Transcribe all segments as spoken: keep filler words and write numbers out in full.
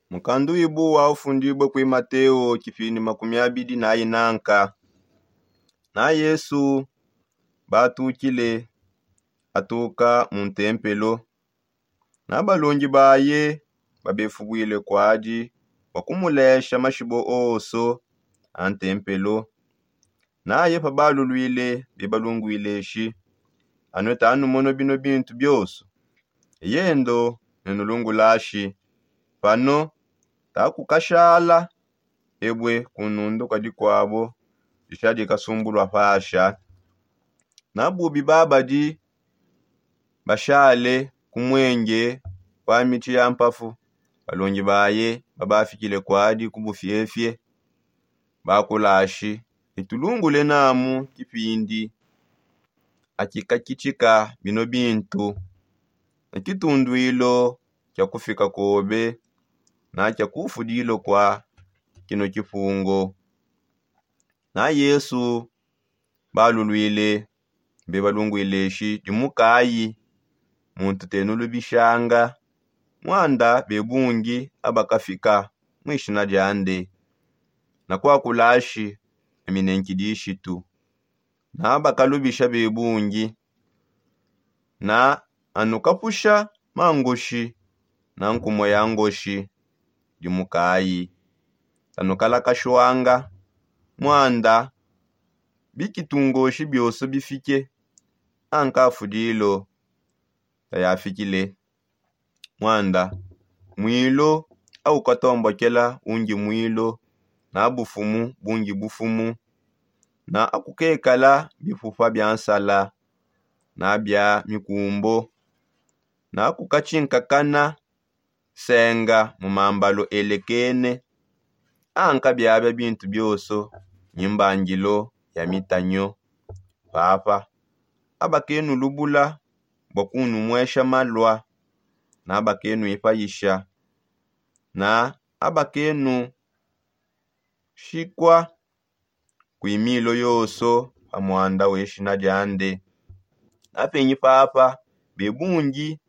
Mukandu wibu wa ufundibue kui mateo kipindi makumi abidi na inanka. Na yesu batukile atuka mu ntempelo. Na balongi baye babefubwile kwadi bua kumulesha mashibo oso a ntempelo. Naye pabalulwile bebalungwile shi, anue tanumono bino bintu bioso. Eyendo nenulungulashi pano takukashala ebue kunundu kua dikuabo dishadi kasumbulua pasha. Na bubi babadi bashale ku muenge kua mitshi ya mpafu, balongi baye babafikile kuadi ku bufiefie. Bakulashi, itulungule namu kipindi akikakitshika bino bintu ne kitunduilo kia kufika kobe na kia kufudilo kua kino kipungo. Na yesu balulwile bebalungwile shi dimukayi muntu tenulubishanga. Muanda bebungi abakafika mwishina diande na kuakulashi aminenki dishitu na bakalubisha bebungi. Na anukapusha mangoshi na nkumue ya ngoshi dimukayi tanukalakashwanga. Muanda bikitungoshi bioso bifike ankafudilo tayafikile. Muanda mwilo aukatombokela ungi mwilo na bufumu bungi bufumu. Na akukekala bipupa bia nsala na bia mikumbo. Na akukatshinkakana senga mu mambalo elekene. Anka biabia bintu bioso ni mbangilo ya mitanyo. Papa, abakenulubula bua kunumuesha malua na abakenuipayisha na abakenushikua kui milo yoso pa muanda weshina diande. Napenyi papa bebungi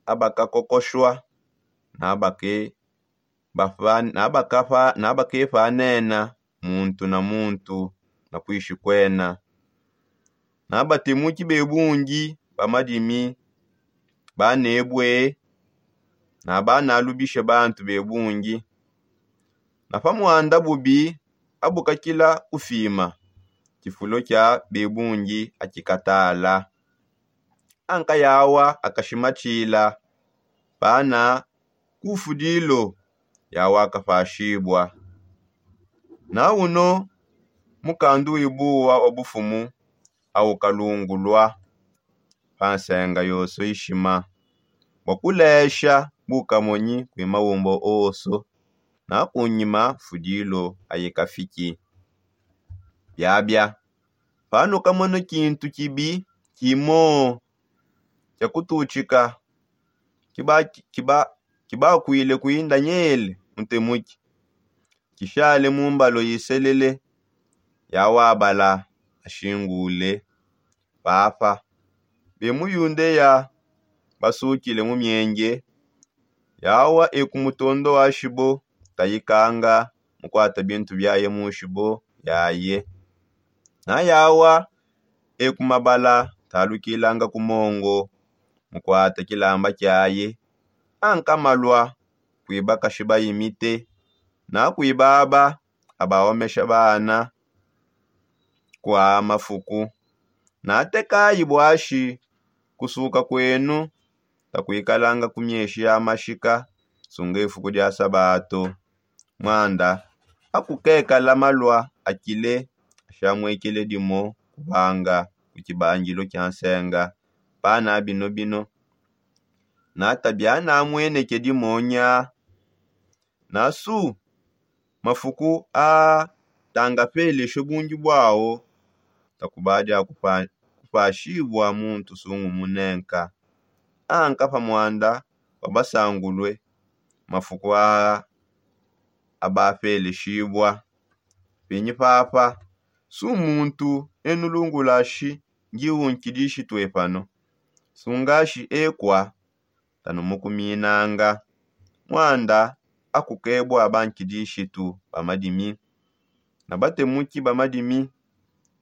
abakakokoshua na abake bafa na abakafa na abakepanena muntu na muntu na kuishi kuena. Na batemuki bebungi ba madimi banebue na banalubishe bantu bebungi. Na pa muanda bubi abukakila kufima kifulo kia bebungi akikatala. Anka yawa akashimatshila pana kufudilo yawa akapashibua. Na uno mukandu wibuwa wa bufumu aukalungulua pa nsenga yoso ishima bua kulesha bukamonyi kui maumbo oso. Na kunyima fudilo ayikafiki biabia panukamona kintu kibi kimo kia kututshika kibakuile kui ndanyele mutemuki kishale mu mbalo iselele. Yawabala ashingule papa be mu yundeya basukile mu mienge. Yawa eku mutondo washibo tayikanga mukuata bintu biaye mushibo yaye. Na yawa eku mabala talukilanga ku mongo mukuata kilamba kiaye. Anka malua kui bakashi bayimite na kui baba abawomesha bana kua mafuku. Natekayi buashi kusuka kuenu takuikalanga ku mieshi ya mashika sunga ifuku dia sabato. Muanda akukekala malua akile ashamuekele dimo kubanga ku kibangilu kia nsenga. Pana bino bino nata bianamueneke dimonya. Nasu mafuku a tangapeleshe bungi buawo takubadi a kupashibua muntu sungumune nka. Anka pa muanda wa basangulue mafuku a abapeleshibua. Penyi papa su muntu enulungulashi ngiunkidishitue pano sungashi ekua tanumukuminanga. Muanda akukebua bankidishitu ba madimi na batemuki ba madimi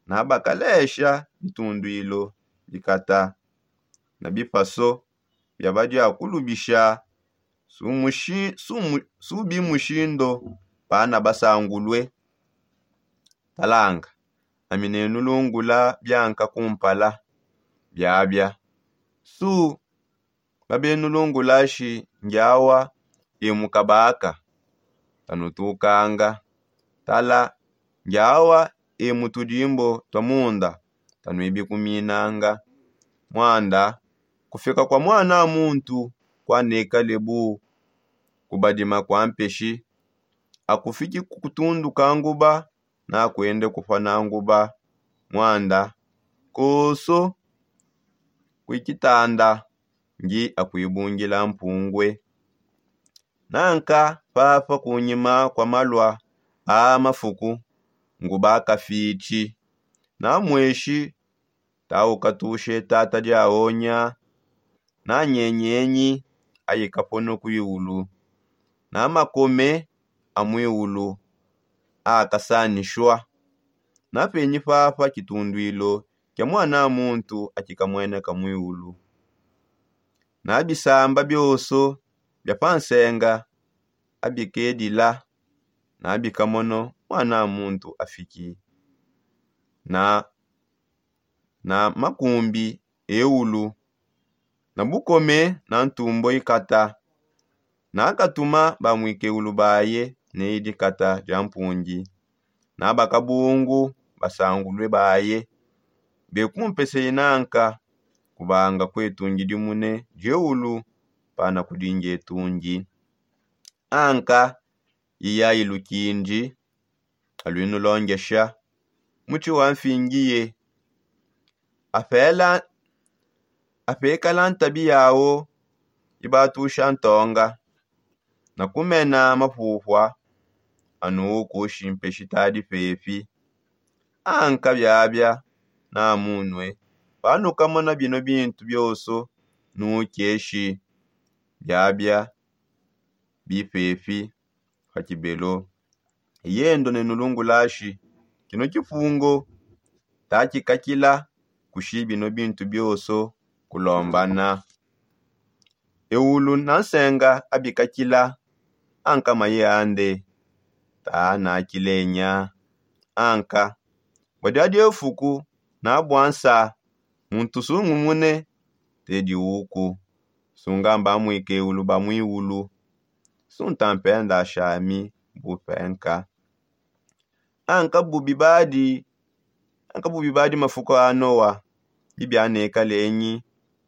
na bakalesha bitunduilo bikata na bipaso bia badiakulubisha subi mushindo pana basangulue. Talanga, ami nenulungula bianka kumpala biabia su babenulungulashi ngiawa emukabaka tanutukanga. Tala, ngiawa emutudimbo tua munda tanuibikuminanga. Mwanda kufika kua muana muntu kuanekale bu kubadima kua mpeshi. Akufiki kutunduka nguba nakuende kupua na nguba. Mwanda koso kuikitanda ngi akuibungila mpungue. Nanka papa kunyima kua malua a mafuku nguba kafitshi na mueshi taukatushe tata diaonya. Na nyenyenyi aikapono kuiulu na makome a muiulu akasanishua. Na penyi papa kitunduilo kia muana muntu akikamueneka muiulu. Na bisamba bioso bia pa nsenga abikedila na bikamono muana muntu afiki na na makumbi eulu na bukome na ntumbo ikata. Nakatuma ba muikeulu baye ne dikata dia mpungi na bakabungu basangulue baye bekumpese inanka kubanga kuetungi dimune dieulu pana kudingi etungi. Anka iya ilukindi aluinulongesha mutshi wa mfingiye. Apekala ntabi yawo ibatusha ntonga na kumena mapupua. Anu ukushi mpeshi tadi pepi anka biabia na munue panukamona bino bintu bioso nukeshi biabia bipepi. Kakibelo yendo nenulungulashi kino kipungo takikakila kushi bino bintu bioso kulombana. Eulu na nsenga abikakila anka maye ande tanakilenya. Anka bua dia diefuku na bua nsa muntu sungumune tedi uku sungamba muikeulu ba muiulu. Sunta mpenda shami bupenka. Anka bubi badi anka bubi badi mafuku a noa bibianekalenyi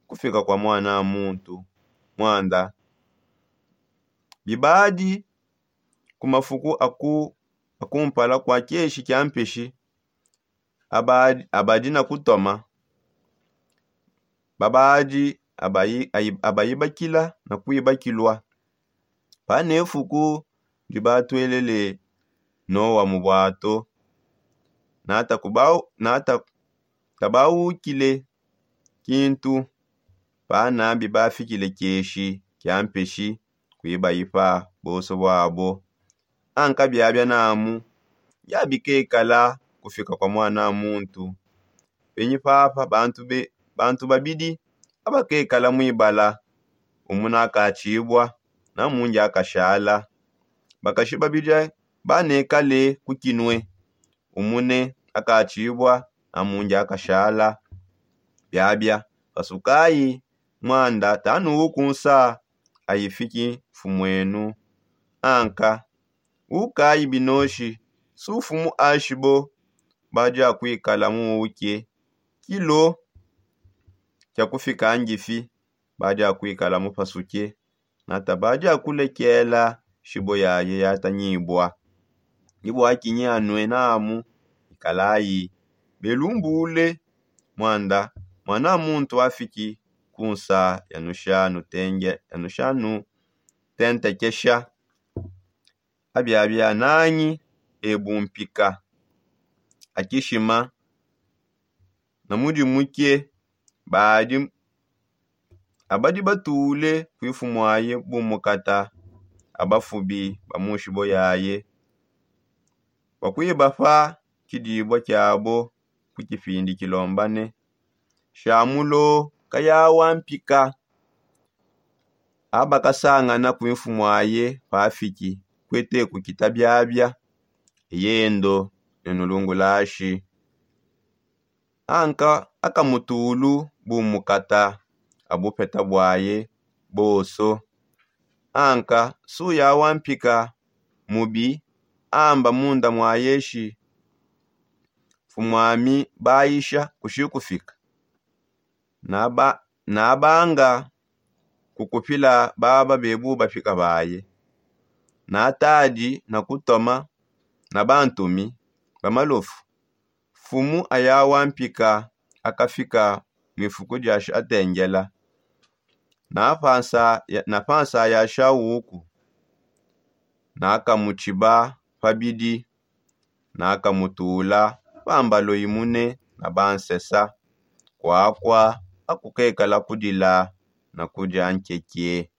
kufika kua muana a muntu. Mwanda bibadi ku mafuku aku akumpala kua kieshi kia mpeshi abadi abadi na kutoma babadi abayibakila na kuibakilua. Panefuku ndi batuelele noa mu buato nata tabawukile kintu pana bibafikile kieshi kia mpeshi kuibayipa bonso buabo. Anka biabia namu biabikekala kufika kua muana a muntu. Penyi papa bantu babidi abakekala muibala umuna akatshibua na mundi akashala. Bakashi babidi banekale ku kinue umune akatshibua na mundi akashala. Biabia pasukayi mwanda tanuwu ku nsa ayifiki mfumuenu. Anka ukayi binoshi su mfumu ashibo badi akuikala muuke kilo kia kufika ngifi badi akuikala mupasuke nata badi akulekela shibo yaye yatangibua. Ibua kinyi anue namu ikalayi belumbule mwanda mwana muntu afiki ku nsa yanushanu tenge yanushanu tentekesha. Abiabia nanyi ebu mpika akishima na mudimu ke badi abadi batule ku ifumuaye bumukata abafubi ba mu nshibo yaye, bua kuibapa tshidibua tshiabo ku tshipindi tshilombane. Shamulo kayawa mpika abakasangana ku mfumu aye pafiki kuete kukita biabia, yendo ne nulungulashi. Anka akamutulu bumukata abupeta buaye bonso. Anka suya wa mpika mubi amba munda muaye shi, mfumuami bayisha kushikufika. Nabanga kukupila baba bebu bapika baye, natadi na kutoma na bantumi ba malofu. Mfumu aya wa mpika akafika mu ifuku dia shatengela, na pansa ya shauku nakamutshiba pabidi, nakamutula pa mbalo imune na bansesa, kuakua akukekala kudila na kudia nkeke.